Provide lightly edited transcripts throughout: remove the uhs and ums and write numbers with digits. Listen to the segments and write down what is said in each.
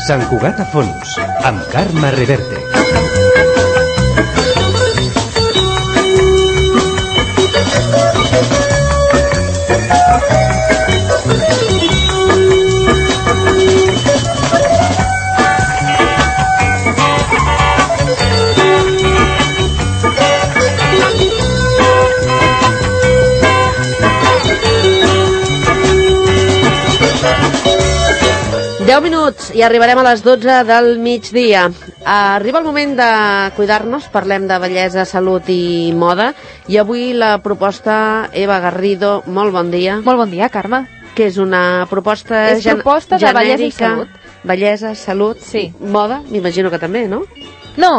Sant Cugat a fons, amb Carme Reverte. Deu minuts i arribarem a les 12 del migdia. Arriba el moment de cuidar-nos, parlem de bellesa, salut i moda. I avui la proposta, Eva Garrido, molt bon dia. Molt bon dia, Carme. Que és una proposta és proposta de bellesa i salut. Bellesa, salut, sí. Moda, m'imagino que també, no? No?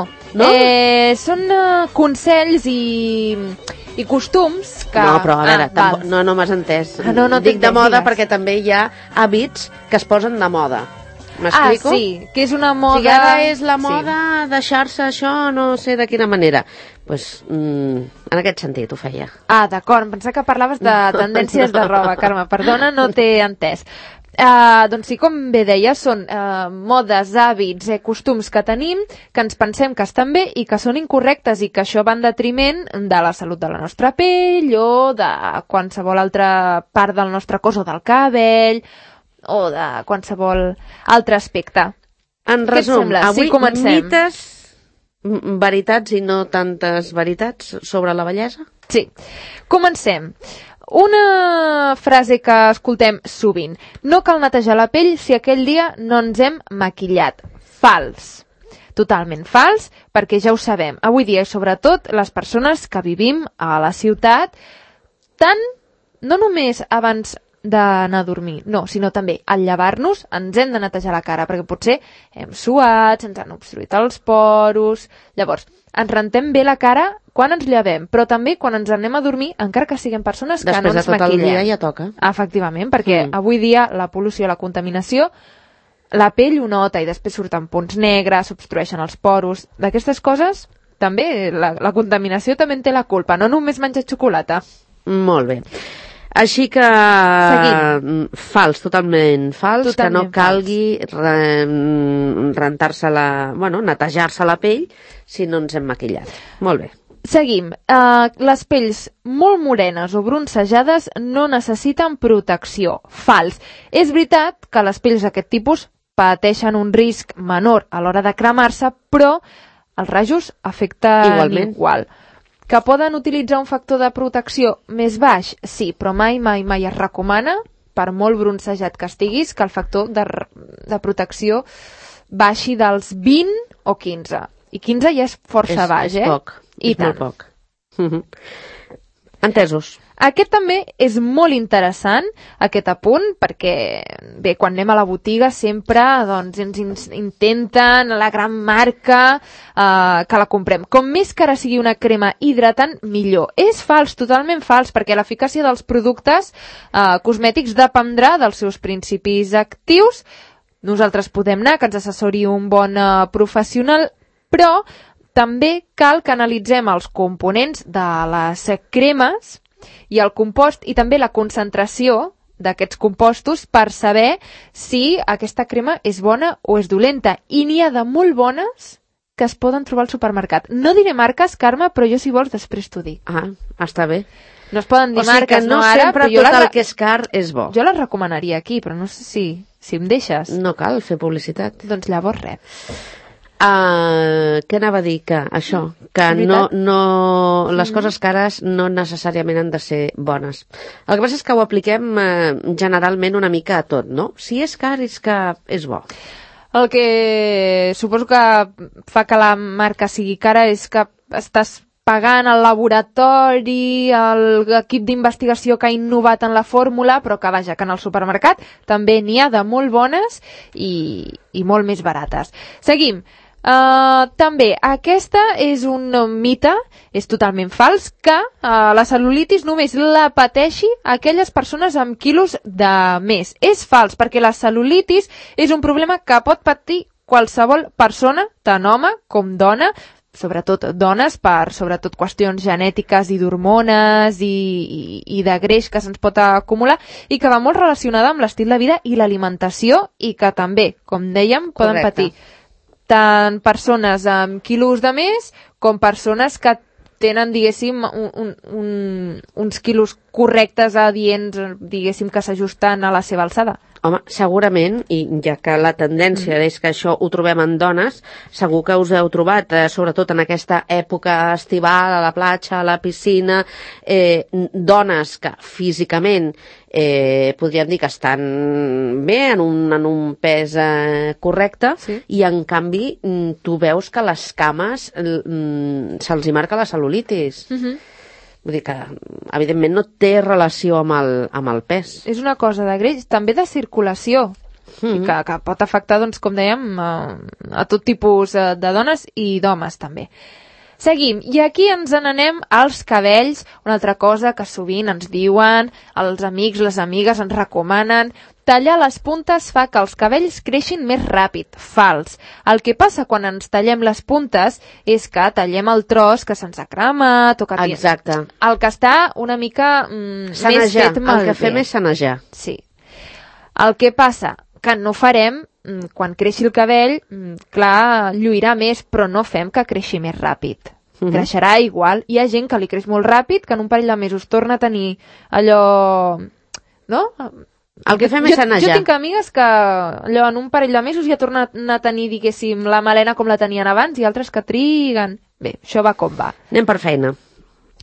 Són consells i costums que... No, però a veure, no m'has entès. No, dic de moda digues. perquè també hi ha hàbits que es posen de moda. M'explico? Sí, que és una moda... Si ara és la moda deixar-se això, no sé de quina manera. Pues, en aquest sentit ho feia. D'acord, em pensava que parlaves de tendències de roba, Carme. Perdona, no t'he entès. Doncs sí, com bé deia, són modes, hàbits, costums que tenim, que ens pensem que estan bé i que són incorrectes i que això va en detriment de la salut de la nostra pell o de qualsevol altra part del nostre cos o del cabell o de qualsevol altre aspecte. En resum, avui mites, veritats i no tantes veritats sobre la bellesa? Sí, comencem. Una frase que escoltem sovint. No cal netejar la pell si aquell dia no ens hem maquillat. Fals. Totalment fals, perquè ja ho sabem. Avui dia, i sobretot, les persones que vivim a la ciutat, no només abans d'anar a dormir, no, sinó també al llevar-nos ens hem de netejar la cara, perquè potser hem suat, ens han obstruït els poros. Llavors, ens rentem bé la cara quan ens llevem, però també quan ens anem a dormir, encara que siguem persones que no ens maquillem. Després de tot el dia ja toca. Efectivament, perquè avui dia la pol·lució, la contaminació, la pell ho nota i després surten punts negres, s'obstrueixen els poros. D'aquestes coses, també, la contaminació també en té la culpa, no només menjar xocolata. Molt bé. Així que fals, totalment fals, que no calgui rentar-se netejar-se la pell si no ens hem maquillat. Molt bé. Seguim. Les pells molt morenes o bronzejades no necessiten protecció. Fals. És veritat que les pells d'aquest tipus pateixen un risc menor a l'hora de cremar-se, però els rajos afecten igual. Que poden utilitzar un factor de protecció més baix? Sí, però mai es recomana, per molt bronzejat que estiguis, que el factor de protecció baixi dels 20 o 15. I 15 ja és força baix, És poc, és molt poc. Entesos. Aquest també és molt interessant, aquest apunt, perquè bé, quan anem a la botiga sempre ens intenten la gran marca que la comprem. Com més cara sigui una crema hidratant, millor. És fals, totalment fals, perquè l'eficàcia dels productes cosmètics dependrà dels seus principis actius. Nosaltres podem anar, que ens assessori un bon professional, però també cal que analitzem els components de les cremes i el compost i també la concentració d'aquests compostos per saber si aquesta crema és bona o és dolenta. I n'hi ha de molt bones que es poden trobar al supermercat. No diré marques, Carme, però jo si vols després t'ho dic. Està bé. No es poden dir marques, no ara, sempre tot el que és car és bo. Jo les recomanaria aquí, però no sé si em deixes. No cal fer publicitat. Doncs llavors res. Què anava a dir? Que això, que les coses cares no necessàriament han de ser bones. El que passa és que ho apliquem generalment una mica a tot, no? Si és car és que és bo. El que suposo que fa que la marca sigui cara és que estàs pagant el laboratori, l'equip d'investigació que ha innovat en la fórmula, però que vaja, que en el supermercat també n'hi ha de molt bones i molt més barates. Seguim. També, aquesta és un mite, és totalment fals, que la cel·lulitis només la pateixi aquelles persones amb quilos de més. És fals, perquè la cel·lulitis és un problema que pot patir qualsevol persona, tant home com dona, sobretot dones, per sobretot qüestions genètiques i d'hormones i de greix que se'ns pot acumular i que va molt relacionada amb l'estil de vida i l'alimentació i que també, com dèiem, poden patir tant persones amb quilos de més com persones que tenen, diguéssim, uns quilos correctes adients, diguéssim, que s'ajusten a la seva alçada. Home, segurament, i ja que la tendència és que això ho trobem en dones, segur que us heu trobat, sobretot en aquesta època estival, a la platja, a la piscina, dones que físicament podríem dir que estan bé, en un pes correcte, i en canvi tu veus que les cames se'ls hi marca la cel·lulitis. Vull dir que, evidentment, no té relació amb el pes. És una cosa de greix, també de circulació, que pot afectar, doncs, com dèiem, a tot tipus de dones i d'homes, també. Seguim, i aquí ens n'anem als cabells, una altra cosa que sovint ens diuen, els amics, les amigues ens recomanen, tallar les puntes fa que els cabells creixin més ràpid. Fals. El que passa quan ens tallem les puntes és que tallem el tros que se'ns ha cremat o que... Exacte. El que està una mica més fet malbé. El que fem és sanejar. Sí. El que passa que no farem, quan creixi el cabell, clar, lluirà més, però no fem que creixi més ràpid. Creixerà igual. Hi ha gent que li creix molt ràpid, que en un parell de mesos torna a tenir allò... No? El que fem és sanejar. Jo tinc amigues que allò, en un parell de mesos ja tornen a tenir, diguéssim, la melena com la tenien abans i altres que triguen. Bé, això va com va. Anem per feina.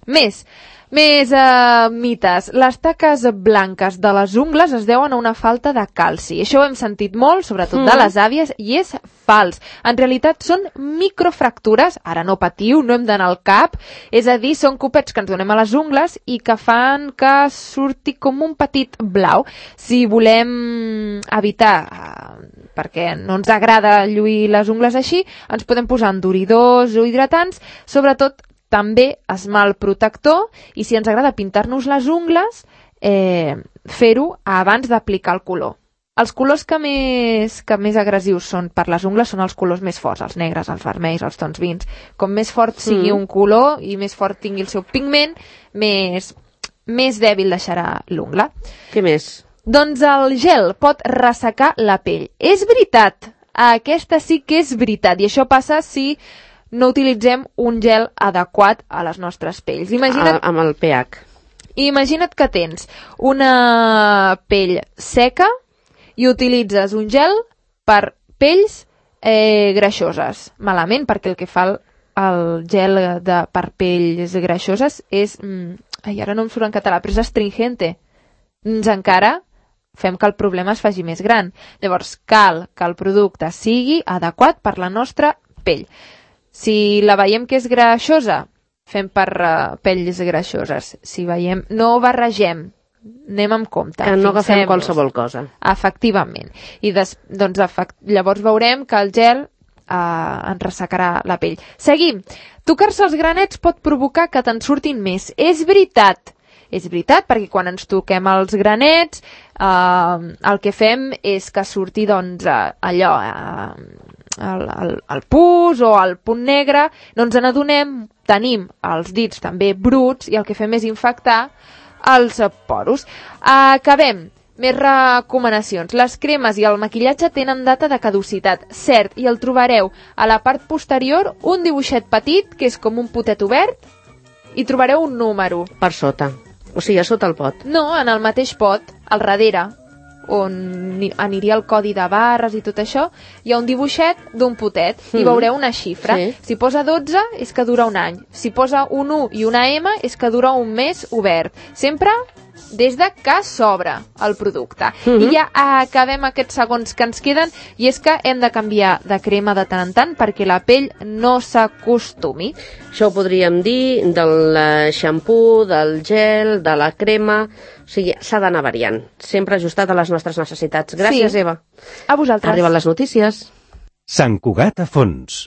Més mites. Les taques blanques de les ungles es deuen a una falta de calci. Això ho hem sentit molt, sobretot de les àvies, i és fals. En realitat són microfractures, ara no patiu, no hem d'anar al cap, és a dir, són copets que ens donem a les ungles i que fan que surti com un petit blau. Si volem evitar, perquè no ens agrada lluir les ungles així, ens podem posar enduridors o hidratants, sobretot també esmalt protector, i si ens agrada pintar-nos les ungles, fer-ho abans d'aplicar el color. Els colors que més agressius són per les ungles són els colors més forts, els negres, els vermells, els tons vins. Com més fort sigui un color i més fort tingui el seu pigment, més dèbil deixarà l'ungla. Què més? Doncs el gel pot ressecar la pell. És veritat, aquesta sí que és veritat, i això passa si no utilitzem un gel adequat a les nostres pells. Amb el pH. Imagina't que tens una pell seca i utilitzes un gel per pells greixoses. Malament, perquè el que fa el gel per pells greixoses és... ara no em surt en català, però és astringente. Encara fem que el problema es faci més gran. Llavors, cal que el producte sigui adequat per la nostra pell. Si la veiem que és greixosa, fem per pells greixoses. Si veiem, no barregem, anem amb compte. Que no agafem qualsevol cosa. Efectivament. I llavors veurem que el gel ens ressecarà la pell. Seguim. Tocar-se els granets pot provocar que te'n surtin més. És veritat. És veritat, perquè quan ens toquem els granets, el que fem és que surti, doncs, allò... el pus o el punt negre, no ens n'adonem, tenim els dits també bruts i el que fem és infectar els poros. Acabem. Més recomanacions. Les cremes i el maquillatge tenen data de caducitat, cert, i el trobareu a la part posterior un dibuixet petit, que és com un potet obert, i trobareu un número. Per sota. O sigui, a sota el pot. No, en el mateix pot, al darrere, on aniria el codi de barres i tot això, hi ha un dibuixet d'un potet i veureu una xifra. Si posa 12 és que dura un any. Si posa un 1 i una M és que dura un mes obert. Sempre des de que s'obre el producte. I ja acabem aquests segons que ens queden, i és que hem de canviar de crema de tant en tant perquè la pell no s'acostumi. Això ho podríem dir del xampú, del gel, de la crema... O sigui, s'ha d'anar variant, sempre ajustat a les nostres necessitats. Gràcies, Eva. A vosaltres. Arriben les notícies. Sant Cugat a fons.